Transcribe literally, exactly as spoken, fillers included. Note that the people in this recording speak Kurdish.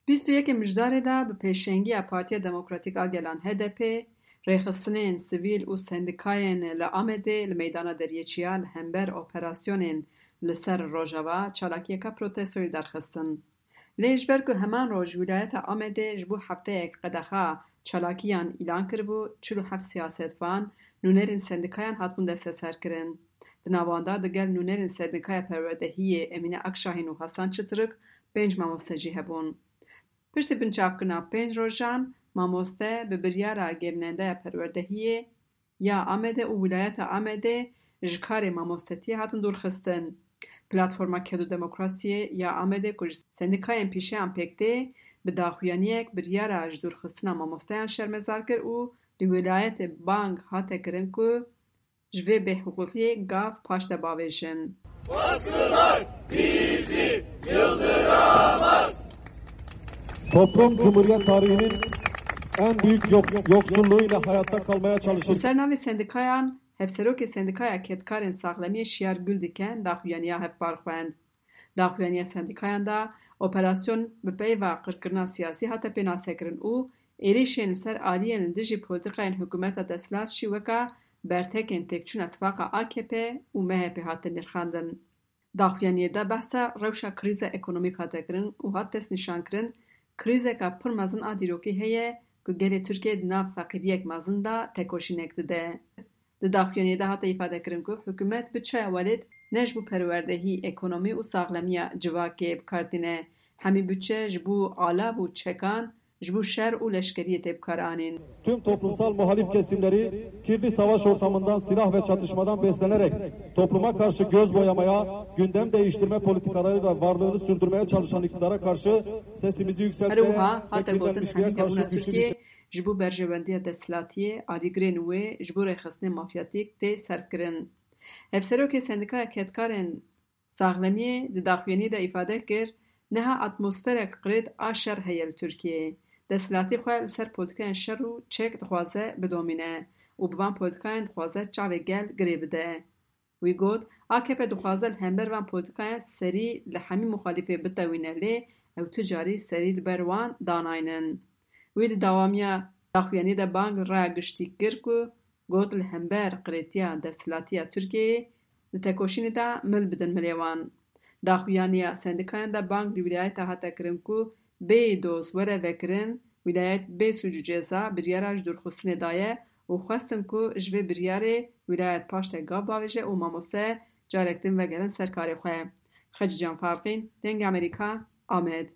Bîst û yekê Mijdarê de bi pêşengiya Partiya Demokratîk a Gelan H D P, rêxistinên sivîl û sendîkayên li Amedê li meydana Deriyê Çiya li hember operasyonên li ser Rojava çalakiyeka protestoyê derxistin. Lê ji ber ku heman roj wîlayeta Amedê ji bo hefteyek qedexa çalakiyan îlan kiribû, çil û heft siyasetvan, nûnerên sendîkayan hatibûn desteserkirin. Di nav wan de digel nûnerên sendîkaya perwerdehiyê Emîne Akşahîn û Hasan Çitirik pênc mamoste jî hebûn. Piştî binçavkirina pênc rojan, mamoste bi biryara gerînendaya perwerdehiyê ya Amedê û wîlayeta Amedê ji karê mamostetiyê hatin dûrxistin. Platforma Ked û Demokrasiyê ya Amedê ku ji sendîkayên pîşeyan pêk tê, bi daxuyaniyek biryara ji dûrxistina mamosteyan şermezar kir û li wîlayetê bang hate kirin ku ji vê bêhiqûqiyê gav paş de bavêjin. Baskılar bizi yıldıramaz. Toplum Cumhuriyet tarihinin en büyük yok- yoksulluğuyla hayatta kalmaya Li çalışır. Ser navê sendikayan, hevserokê Sendikaya Kedkarên Saxlemiyê Şiyar Guldiken daxuyaniya hevpar xwend. Daxuyaniya sendikayan de operasyon bi peyva qirkirina siyasî hate pênasekirin û êrîşên li ser aliyên li dijî polîtîkayên hikûmeta desthilat jî weka bertekên têkçûna tifaqa A K P û M H P hate nirxandin. Daxuyaniyê de behsa rewşa krîza ekonomîk hate kirin û hat destnîşankirin, krîzeka pir mezin a dîrokî heye ku gelê Tirkiyê di nav feqîriyek mezin de tekoşînek dide. Di daxuyaniyê de hate îfadekirin ku hikûmet budçeya welêt ne ji bo perwerdehî, ekonomî û saxlemiya civakê bi kar tîne, hemî budçe ji bo alav û çekan, ji bo şer û leşkeriyê tê bikaranîn. Tüm toplumsal muhalif kesimleri kirli savaş ortamından, silah ve çatışmadan beslenerek topluma karşı göz boyamaya, gündem değiştirme politikalarıyla varlığını sürdürmeye çalışan iktidara karşı sesimizi yükseltmeye Her wiha ve hate gotin, kirlenmişliğe hemî karşı hebûna güçlü bir Tirkiyê ji bo berjewendiya desthilatiyê, alîgirên wê ji bo rêxistinên mafyatîk tê serfkirin. Hevserokê Sendîkaya Kedkarên Saxlemiyê di daxuyaniyê de îfade kir, niha atmosferek qirêt a şer heye li Tirkiyeyê. Desthilatî xwe li ser polîtîkayên şer û çek dixwaze bidomîne û bi van polîtîkayan dixwaze çavê gel girê bide. Wî got, A K P dixwaze li hember van polîtîkayan serî li hemî muxalîfê bitewîne, lê ew tu carî serî li ber wan danaynin. Wî di dewamiya daxuyaniyê de bang li raya giştî kir ku got, li hember qirêtiya desthilatiya Tirkiyeyê di tekoşînê de mil bidin milê wan. Daxuyaniya sendikayan de bang li wîlayeta hate kirin ku bêyî doz were vekirin, wîlayet bê sûc û ceza biryara ji dûrxistinê daye û xwestin ku ji vê biryarê wîlayet paş de gav bavêje û mamoste carek din vegerin ser karê xwe. Xecîcan Farqîn, Dengê Amerîka, Amed.